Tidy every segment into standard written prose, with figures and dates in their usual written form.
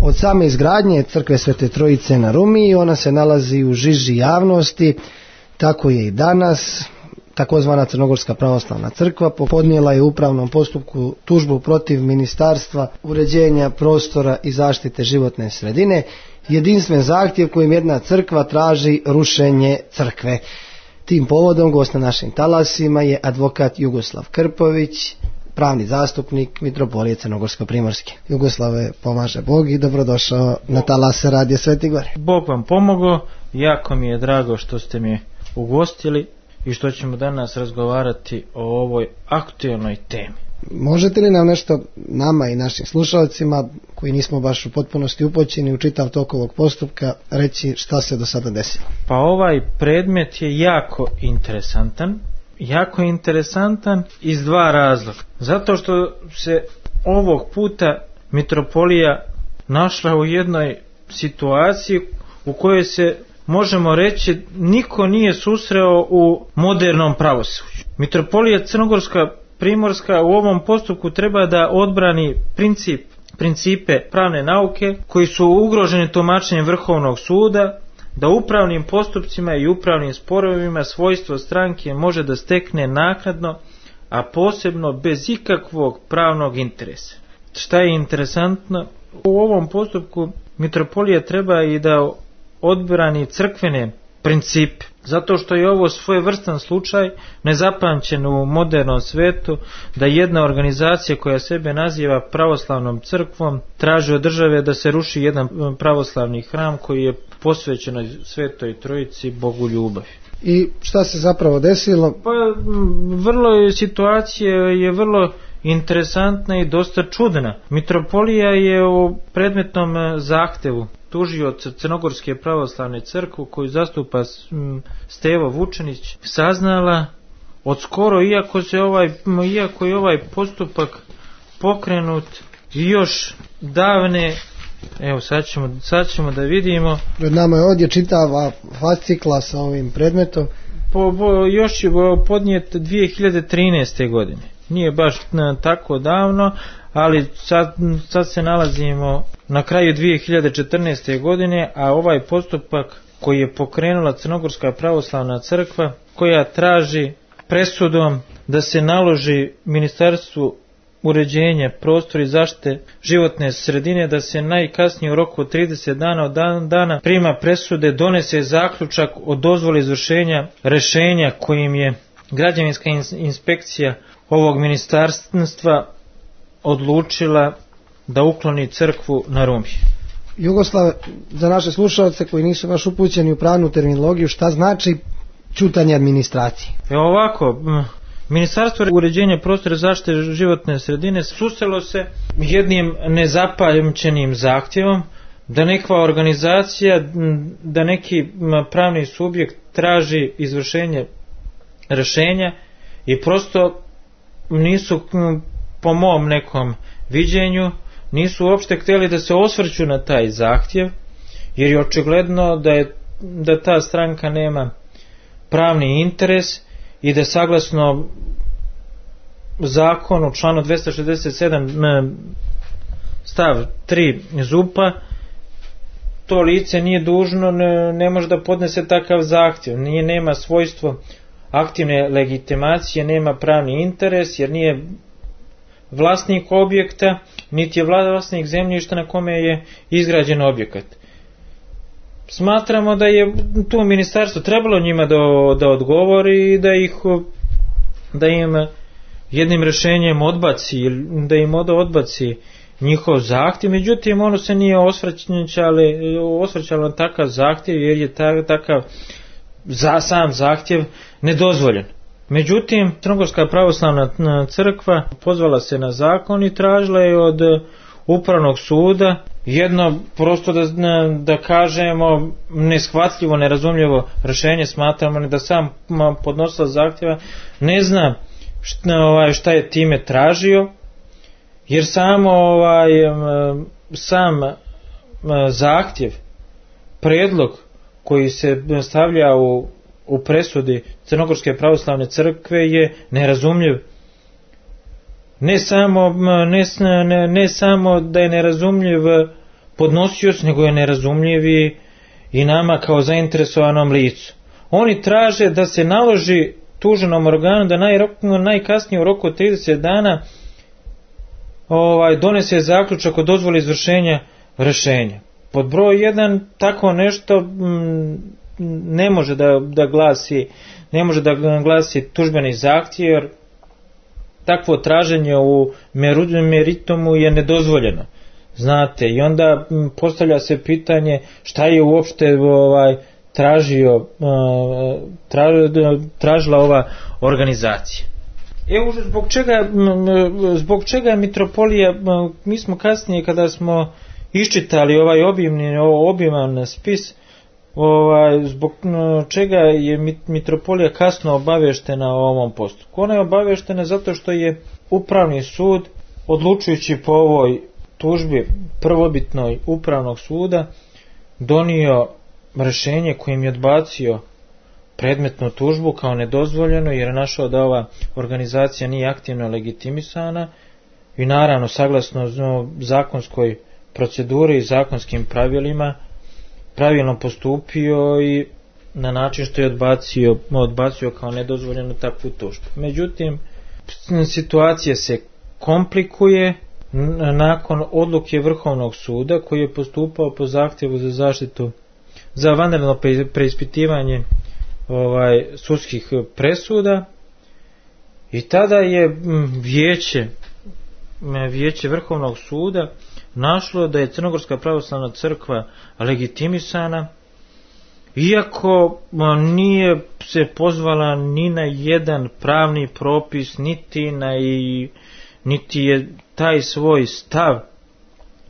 Od same izgradnje crkve Svete Trojice na Rumiji ona se nalazi u žiži javnosti, tako je i danas. Takozvana Crnogorska pravoslavna crkva podnijela je u upravnom postupku tužbu protiv Ministarstva uređenja prostora i zaštite životne sredine, jedinstven zahtjev kojim jedna crkva traži rušenje crkve. Tim povodom gost na našim talasima je advokat Jugoslav Krpović, pravni zastupnik Mitropolije Crnogorsko-primorske. Jugoslave, pomaže Bog i dobrodošao na talase Radija Sveti Gor. Bog vam pomogao, jako mi je drago što ste mi ugostili i što ćemo danas razgovarati o ovoj aktualnoj temi. Možete li nam nešto nama i našim slušalcima, koji nismo baš u potpunosti upućeni u čitav tok ovog postupka, reći šta se do sada desilo? Pa ovaj predmet je jako interesantan iz dva razloga. Zato što se ovog puta Mitropolija našla u jednoj situaciji u kojoj se, možemo reći, niko nije susreo u modernom pravosuđu. Mitropolija Crnogorska Primorska u ovom postupku treba da odbrani principe pravne nauke koji su ugroženi tumačenjem Vrhovnog suda, da upravnim postupcima i upravnim sporovima svojstvo stranke može da stekne naknadno, a posebno bez ikakvog pravnog interesa. Šta je interesantno? U ovom postupku Mitropolija treba i da odbrani crkvene principe, zato što je ovo svojevrstan slučaj, nezapamćen u modernom svetu, da jedna organizacija koja sebe naziva pravoslavnom crkvom traži od države da se ruši jedan pravoslavni hram koji je posvećen Svetoj Trojici, Bogu ljubavi. I šta se zapravo desilo? Pa situacija je vrlo interesantna i dosta čudna. Mitropolija je u predmetnom zahtevu tužioca Crnogorske pravoslavne crkve koju zastupa Stevo Vučenić saznala od skoro, iako je ovaj postupak pokrenut još davne, evo sad ćemo da vidimo. Pred nama je ovdje čitava fascikla sa ovim predmetom. Još je podnijet 2013. godine. Nije baš tako davno, ali sad se nalazimo na kraju 2014. godine, a ovaj postupak koji je pokrenula Crnogorska pravoslavna crkva, koja traži presudom da se naloži Ministarstvu uređenja prostora i zaštite životne sredine da se najkasnije u roku od 30 dana od dana prima presude donese zaključak o dozvoli izvršenja rješenja kojim je građevinska inspekcija ovog ministarstva odlučila da ukloni crkvu na Rumiji. Jugoslav, za naše slušalce koji nisu baš upućeni u pravnu terminologiju, šta znači ćutanje administracije? Ovako, Ministarstvo uređenja prostora i zaštite životne sredine susrelo se jednim nezapamćenim zahtjevom da neka organizacija, da neki pravni subjekt traži izvršenje rješenja i prosto nisu, po mom nekom viđenju, nisu uopšte htjeli da se osvrću na taj zahtjev, jer je očigledno da ta stranka nema pravni interes i da saglasno zakonu članu 267 stav 3 ZUP-a to lice nije dužno, ne može da podnese takav zahtjev, nema svojstvo aktivne legitimacije, nema pravni interes jer nije vlasnik objekta, niti je vlasnik zemljišta na kome je izgrađen objekat. Smatramo da je tu ministarstvo trebalo njima da odgovori i da im jednim rješenjem odbaci, da im odbaci njihov zahtjev, međutim ono se nije osvrćalo na takav zahtjev jer je takav sam zahtjev nedozvoljen. Međutim, Crnogorska pravoslavna crkva pozvala se na zakon i tražila je od upravnog suda jedno, prosto da kažemo, neshvatljivo, nerazumljivo rješenje. Smatramo da sam podnosilac zahtjeva ne zna šta je time tražio, jer sam zahtjev, predlog koji se stavlja u presudi Crnogorske pravoslavne crkve je nerazumljiv. Ne samo da je nerazumljiv podnosioc, nego je nerazumljiv i nama kao zainteresovanom licu. Oni traže da se naloži tuženom organu da najkasnije u roku od 30 dana donese zaključak o dozvoli izvršenja rješenja. Pod broj 1 tako nešto ne može da glasi tužbeni zahtjev, jer takvo traženje u meritumu je nedozvoljeno. Znate, i onda postavlja se pitanje šta je uopšte tražila ova organizacija. Evo zbog čega mitropolija, mi smo kasnije kada smo iščitali ovaj obiman spis, zbog čega je mitropolija kasno obaveštena o ovom postupku. Ona je obaveštena zato što je Upravni sud, odlučujući po ovoj tužbi prvobitnoj Upravnog suda, donio rješenje kojim je odbacio predmetnu tužbu kao nedozvoljeno, jer je našao da ova organizacija nije aktivno legitimisana i naravno saglasno zakonskoj proceduri i zakonskim pravilima pravilno postupio i na način što je odbacio kao nedozvoljenu takvu tužbu. Međutim, situacija se komplikuje nakon odluke Vrhovnog suda koji je postupao po zahtjevu za zaštitu, za vanredno preispitivanje sudskih presuda, i tada je vijeće Vrhovnog suda našlo da je Crnogorska pravoslavna crkva legitimisana, iako nije se pozvala ni na jedan pravni propis, niti je taj svoj stav,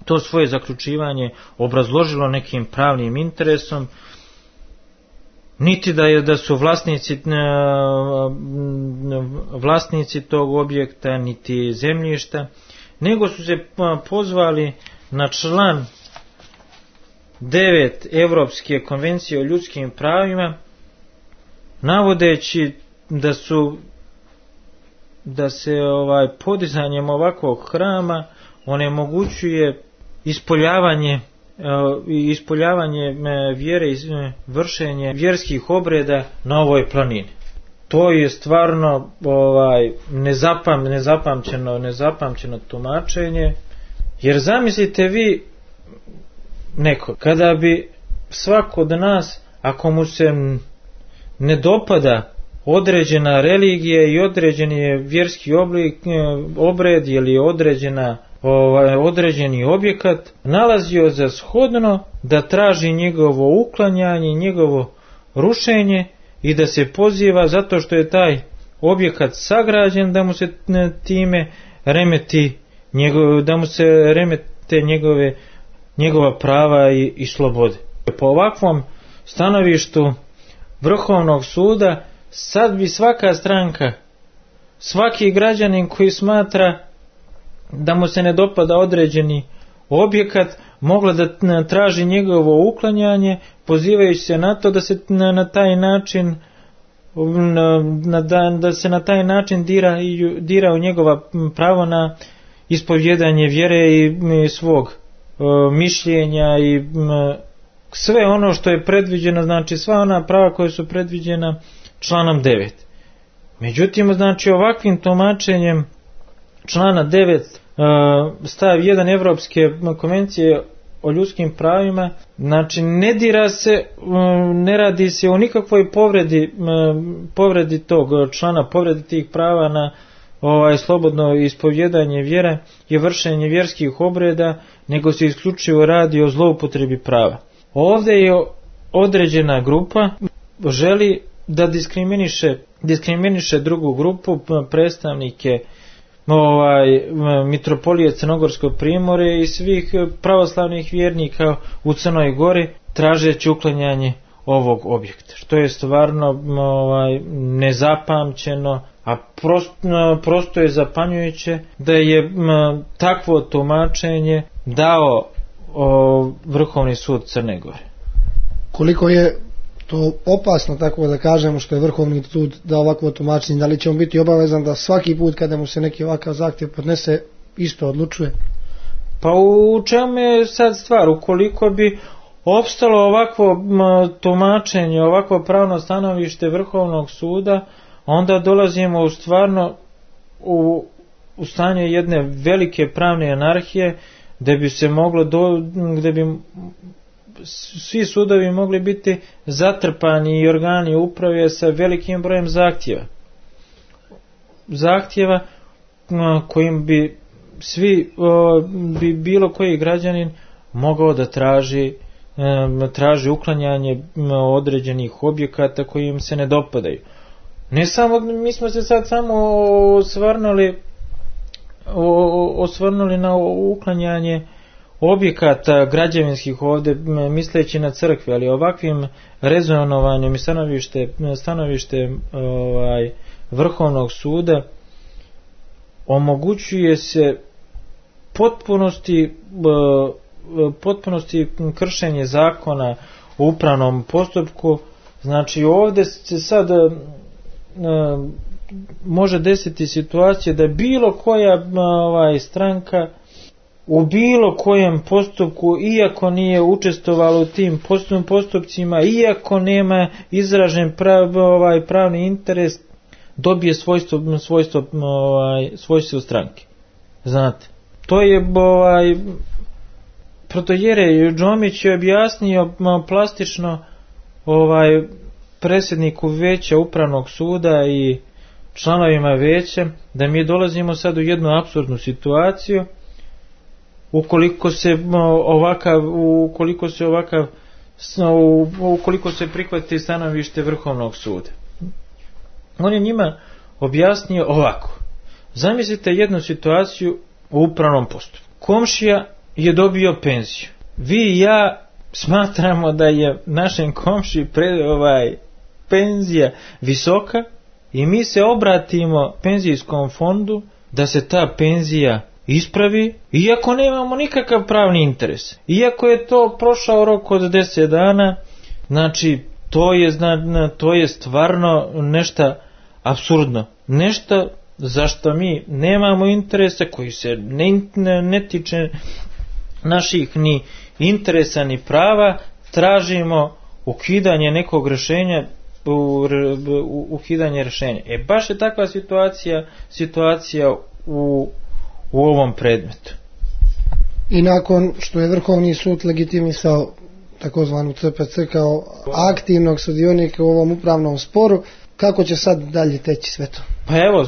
to svoje zaključivanje obrazložilo nekim pravnim interesom, niti da su vlasnici tog objekta, niti zemljišta, nego su se pozvali na član 9 Europske konvencije o ljudskim pravima, navodeći da se podizanjem ovakvog hrama onemogućuje ispoljavanje vjere i vršenje vjerskih obreda na ovoj planini. To je stvarno nezapamćeno tumačenje, jer zamislite vi neko, kada bi svako od nas, ako mu se ne dopada određena religija i određeni vjerski obred ili određeni objekat, nalazio za shodno da traži njegovo uklanjanje, njegovo rušenje i da se poziva zato što je taj objekat sagrađen da mu se time remete njegova prava i slobode. Po ovakvom stanovištu Vrhovnog suda sad bi svaka stranka, svaki građanin koji smatra da mu se ne dopada određeni objekat, mogla da traži njegovo uklanjanje, pozivajući se na to da se na taj način dira u njegova pravo na ispovjedanje vjere i svog mišljenja i sve ono što je predviđeno, znači sva ona prava koja su predviđena članom 9. Međutim, znači ovakvim tumačenjem člana 9 stav 1 Europske konvencije o ljudskim pravima, znači ne radi se o nikakvoj povredi tog člana, povredi tih prava na slobodno ispovjedanje vjere i vršenje vjerskih obreda, nego se isključivo radi o zloupotrebi prava. Ovdje je određena grupa želi da diskriminiše drugu grupu, predstavnike mitropolije Crnogorskog primorja i svih pravoslavnih vjernika u Crnoj Gori, tražeći uklanjanje ovog objekta, što je stvarno nezapamćeno, a prosto je zapanjujuće da je takvo tumačenje dao Vrhovni sud Crne Gore. Koliko je to opasno, tako da kažemo, što je Vrhovni sud dao ovakvo tumačenje, da li će on biti obavezan da svaki put kada mu se neki ovakav zahtjev podnese isto odlučuje? Pa u čemu je sad stvar? Ukoliko bi opstalo ovakvo tumačenje, ovakvo pravno stanovište Vrhovnog suda, onda dolazimo u stvarno u stanje jedne velike pravne anarhije, gdje bi se moglo gdje bi svi sudovi mogli biti zatrpani i organi uprave sa velikim brojem zahtjeva kojim bi bi bilo koji građanin mogao da traži uklanjanje određenih objekata koji im se ne dopadaju. Ne samo, mi smo se sad samo osvrnuli na uklanjanje objekata građevinskih ovdje, misleći na crkve, ali ovakvim rezonovanjem i stanovište Vrhovnog suda omogućuje se potpunosti kršenje zakona u upravnom postupku. Znači ovdje se sad može desiti situacija da bilo koja stranka u bilo kojem postupku, iako nije učestvovala u tim postupcima, iako nema izražen pravni interes, dobije svojstvo stranke. Znate, to je protojerej Džomić je objasnio plastično predsjedniku veća upravnog suda i članovima veća da mi dolazimo sad u jednu apsurdnu situaciju ukoliko se prihvati stanovište Vrhovnog suda. On je njima objasnio ovako. Zamislite jednu situaciju u upravnom postupku. Komšija je dobio penziju. Vi i ja smatramo da je našem komšiji penzija visoka i mi se obratimo penzijskom fondu da se ta penzija ispravi, iako nemamo nikakav pravni interes. Iako je to prošao rok od 10 dana, znači to je stvarno nešto apsurdno. Nešto zašto mi nemamo interesa, koji se ne tiče naših ni interesa ni prava, tražimo ukidanje nekog rješenja, ukidanje rješenja. Baš je takva situacija u ovom predmetu. I nakon što je Vrhovni sud legitimisao takozvanu CPC kao aktivnog sudionika u ovom upravnom sporu, kako će sad dalje teći sve to? Pa evo,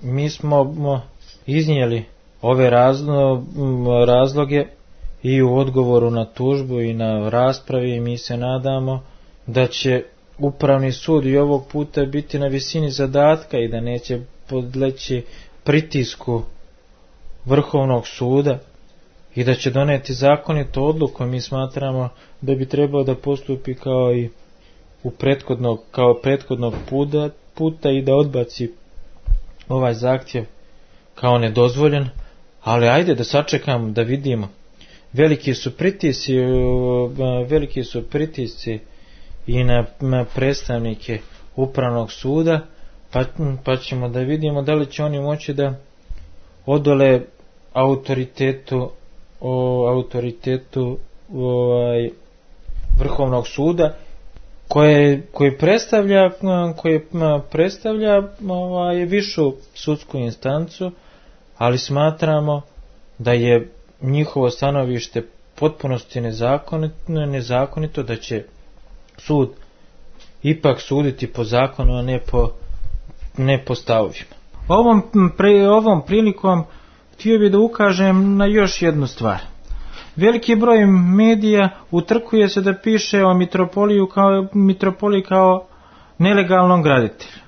mi smo iznijeli ove razloge i u odgovoru na tužbu i na raspravi, i mi se nadamo da će upravni sud i ovog puta biti na visini zadatka i da neće podleći pritisku Vrhovnog suda i da će doneti zakonitu odluku. Mi smatramo da bi trebao da postupi kao i prethodnog puta i da odbaci ovaj zahtjev kao nedozvoljen, ali ajde da sačekamo da vidimo. Veliki su pritisci i na predstavnike upravnog suda, pa ćemo da vidimo da li će oni moći da odole autoritetu Vrhovnog suda koji predstavlja višu sudsku instancu, ali smatramo da je njihovo stanovište potpunosti nezakonito, da će sud ipak suditi po zakonu, a ne po stavovima. Ovom prilikom htio bih da ukažem na još jednu stvar. Veliki broj medija utrkuje se da piše o mitropoliji kao nelegalnom graditelju.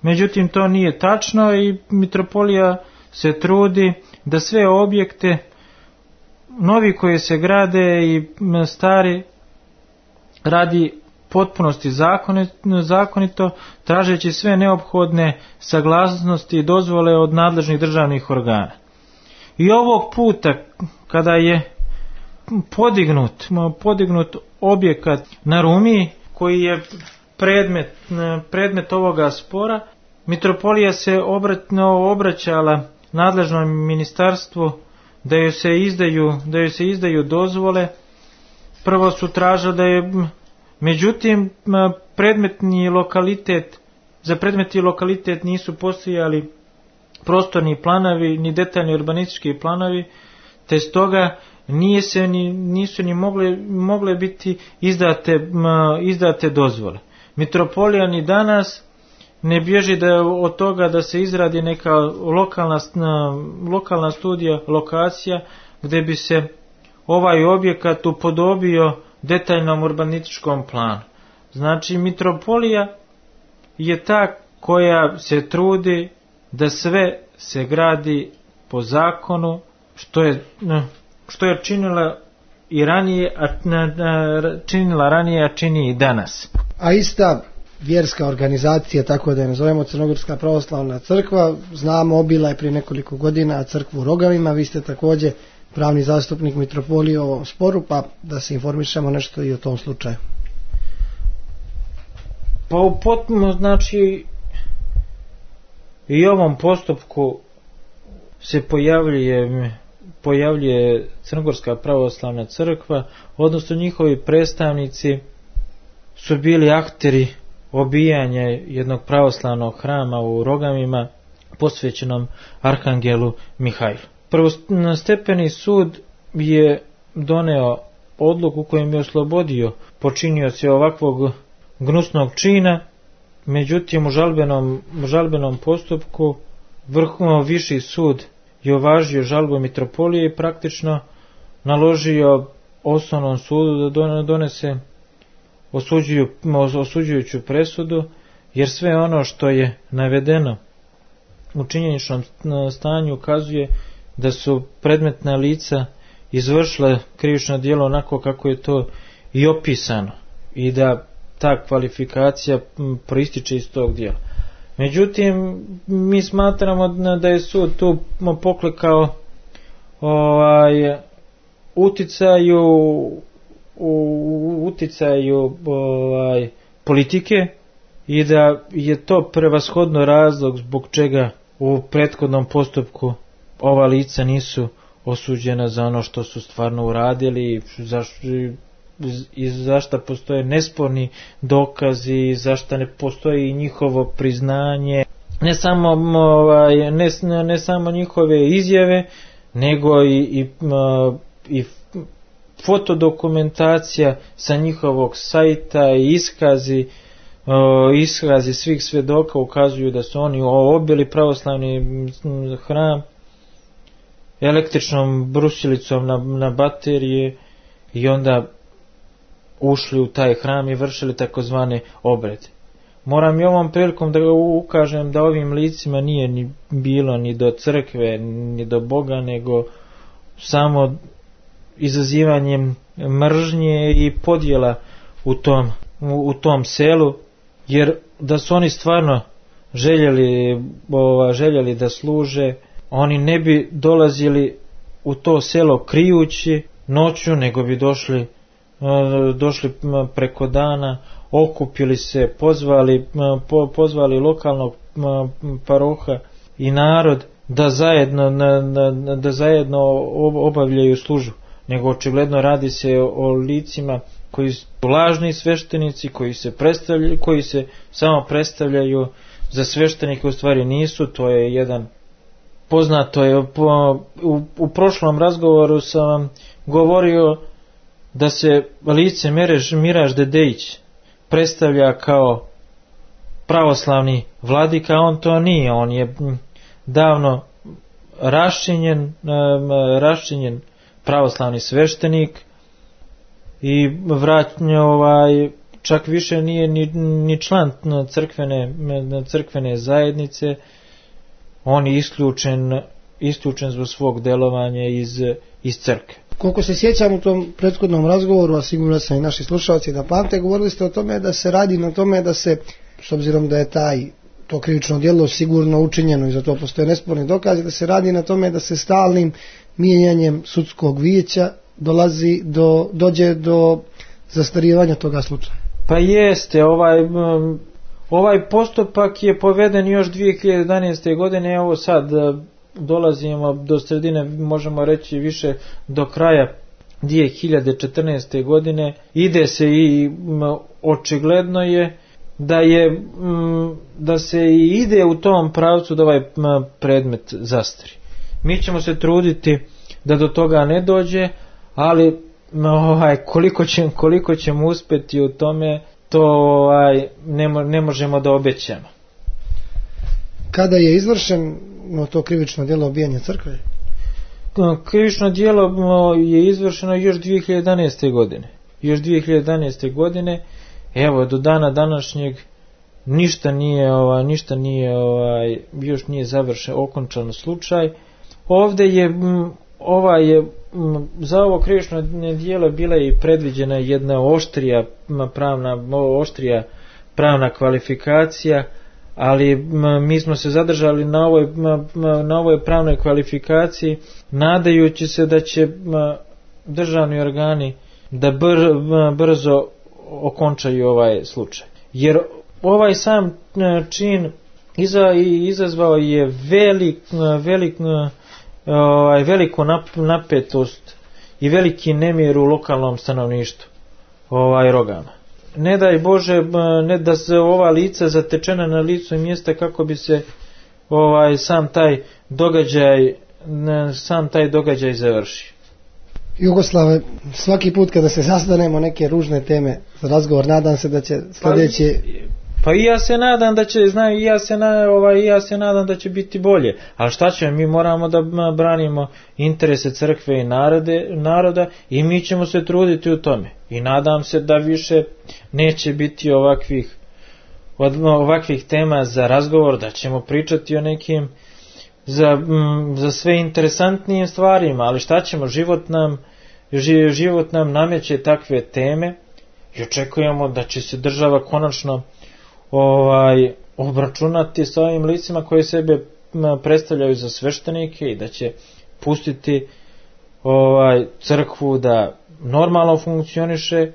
Međutim, to nije tačno i mitropolija se trudi da sve objekte, novi koji se grade i stari, radi potpunosti zakonito, tražeći sve neophodne saglasnosti i dozvole od nadležnih državnih organa. I ovog puta, kada je podignut objekat na Rumiji, koji je predmet ovoga spora, mitropolija se obraćala nadležnom ministarstvu da joj se izdaju dozvole. Prvo su tražili da je, međutim, za predmetni lokalitet nisu postojali prostorni planovi ni detaljni urbanistički planovi, te stoga nisu ni mogle biti izdate dozvole. Mitropolija ni danas ne bježi od toga da se izradi neka lokalna studija, lokacija, gdje bi se ovaj objekat upodobio detaljnom urbanističkom planu. Znači, mitropolija je ta koja se trudi da sve se gradi po zakonu, što je činila i ranije, a čini i danas. A ista vjerska organizacija, tako da je nazovemo, Crnogorska pravoslavna crkva, znamo, obila je prije nekoliko godina crkvu u Rogavima. Vi ste također pravni zastupnik mitropolije u ovom sporu, pa da se informišemo nešto i o tom slučaju. Pa u potpuno, znači, i ovom postupku se pojavljuje Crnogorska pravoslavna crkva, odnosno njihovi predstavnici su bili akteri obijanja jednog pravoslavnog hrama u Rogavima posvećenom Arhangelu Mihajlu. Prvostepeni sud je doneo odluku kojim je oslobodio počinioce ovakvog gnusnog čina, međutim u žalbenom postupku viši sud je uvažio žalbu mitropolije i praktično naložio osnovnom sudu da donese osuđujuću presudu, jer sve ono što je navedeno u činjeničnom stanju ukazuje da su predmetna lica izvršila krivično djelo onako kako je to i opisano i da ta kvalifikacija proističe iz tog djela. Međutim, mi smatramo da je sud tu poklekao uticaju politike i da je to prevashodno razlog zbog čega u prethodnom postupku ova lica nisu osuđena za ono što su stvarno uradili i zašto postoje nesporni dokazi, zašto ne postoji njihovo priznanje, ne samo njihove izjave, nego i fotodokumentacija sa njihovog sajta i iskazi svih svjedoka ukazuju da su oni obili pravoslavni hram električnom brusilicom na baterije i onda ušli u taj hram i vršili takozvane obrede. Moram i ovom prilikom da ukažem da ovim licima nije ni bilo ni do crkve, ni do Boga, nego samo izazivanjem mržnje i podjela u tom selu, jer da su oni stvarno željeli da služe, oni ne bi dolazili u to selo krijući noću, nego bi došli preko dana, okupili se, pozvali lokalnog paroha i narod da zajedno obavljaju službu, nego očigledno radi se o licima koji su lažni sveštenici, koji se samo predstavljaju za sveštenike, u stvari nisu. To je jedan poznato je, u prošlom razgovoru sam vam govorio da se lice Miraž Dedejić predstavlja kao pravoslavni vladika, on to nije, on je davno raščinjen pravoslavni sveštenik i čak više nije ni član crkvene zajednice, on je isključen zbog svog delovanja iz crkve. Koliko se sjećam u tom prethodnom razgovoru, a sigurno sam i naši slušalci da pamte, govorili ste o tome da se radi na tome da se, s obzirom da je to krivično djelo sigurno učinjeno i za to postoje nesporni dokazi, da se radi na tome da se stalnim mijenjanjem sudskog vijeća dođe do zastarivanja toga slučaja. Pa jeste, ovaj postupak je poveden još 2011. godine, evo sad dolazimo do sredine, možemo reći više do kraja 2014. godine, ide se i očigledno je da se i ide u tom pravcu da ovaj predmet zastari. Mi ćemo se truditi da do toga ne dođe, ali koliko ćemo uspjeti u tome, to ne možemo da obećamo. Kada je izvršeno to krivično djelo obijanja crkve? Krivično djelo je izvršeno još 2011. godine. Još 2011. godine, evo do dana današnjeg ništa nije još nije završen, okončan slučaj. Ovdje je za ovo krivično djelo bila i predviđena jedna oštrija pravna kvalifikacija, ali mi smo se zadržali na ovoj pravnoj kvalifikaciji, nadajući se da će državni organi da brzo okončaju ovaj slučaj. Jer ovaj sam čin izazvao je veliku napetost i veliki nemir u lokalnom stanovništvu Rogama. Ne daj Bože, ne da se ova lica zatečena na licu mjesta kako bi se sam taj događaj završio. Jugoslave, svaki put kada se sastanemo neke ružne teme za razgovor, nadam se da će sljedeće... Pa i ja se nadam da će, ja se nadam da će biti bolje. Ali šta ćemo, mi moramo da branimo interese crkve i naroda i mi ćemo se truditi u tome. I nadam se da više neće biti ovakvih tema za razgovor, da ćemo pričati o nekim za sve interesantnijim stvarima, ali šta ćemo, život nam nameće takve teme i očekujemo da će se država konačno obračunati sa ovim licima koji sebe predstavljaju za sveštenike i da će pustiti crkvu da normalno funkcioniše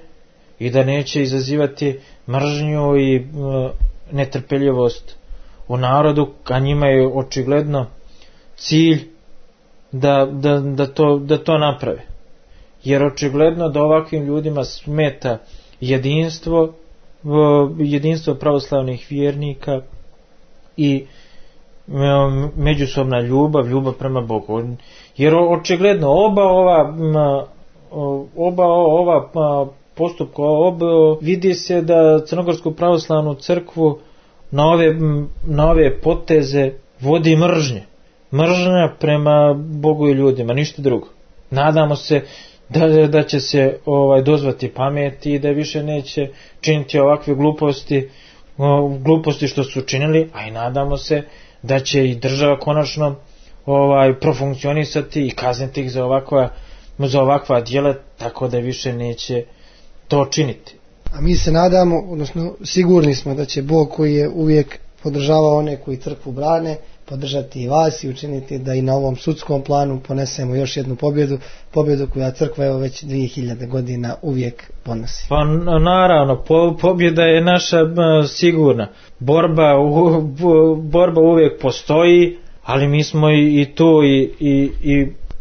i da neće izazivati mržnju i netrpeljivost u narodu, a njima je očigledno cilj da to naprave. Jer očigledno da ovakvim ljudima smeta jedinstvo pravoslavnih vjernika i međusobna ljubav prema Bogu. Jer očigledno oba ova postupka vidi se da Crnogorsku pravoslavnu crkvu na ove poteze vodi mržnja prema Bogu i ljudima, ništa drugo. Nadamo se da će se dozvati pameti i da više neće činiti ovakve gluposti što su činili, a i nadamo se da će i država konačno profunkcionisati i kazniti ih za ovakva djela, tako da više neće to činiti. A mi se nadamo, odnosno sigurni smo da će Bog, koji je uvijek podržavao one koji crkvu brane, podržati i vas i učiniti da i na ovom sudskom planu ponesemo još jednu pobjedu koja crkva evo već 2000 godina uvijek ponosi. Pa naravno, pobjeda je naša sigurna. Borba uvijek postoji, ali mi smo i tu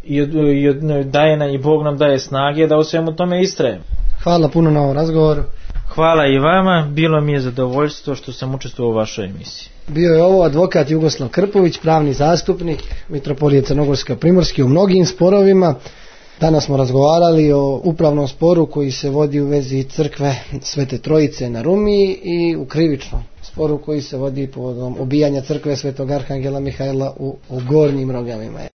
i Bog nam daje snage da u svemu tome istrajemo. Hvala puno na ovom razgovoru. Hvala i vama, bilo mi je zadovoljstvo što sam učestvovao u vašoj emisiji. Bio je ovo advokat Jugoslav Krpović, pravni zastupnik Mitropolije Crnogorsko-primorske u mnogim sporovima. Danas smo razgovarali o upravnom sporu koji se vodi u vezi crkve Svete Trojice na Rumiji i u krivičnom sporu koji se vodi povodom obijanja crkve Svetog Arhangela Mihajla u Gornjim Rogavima.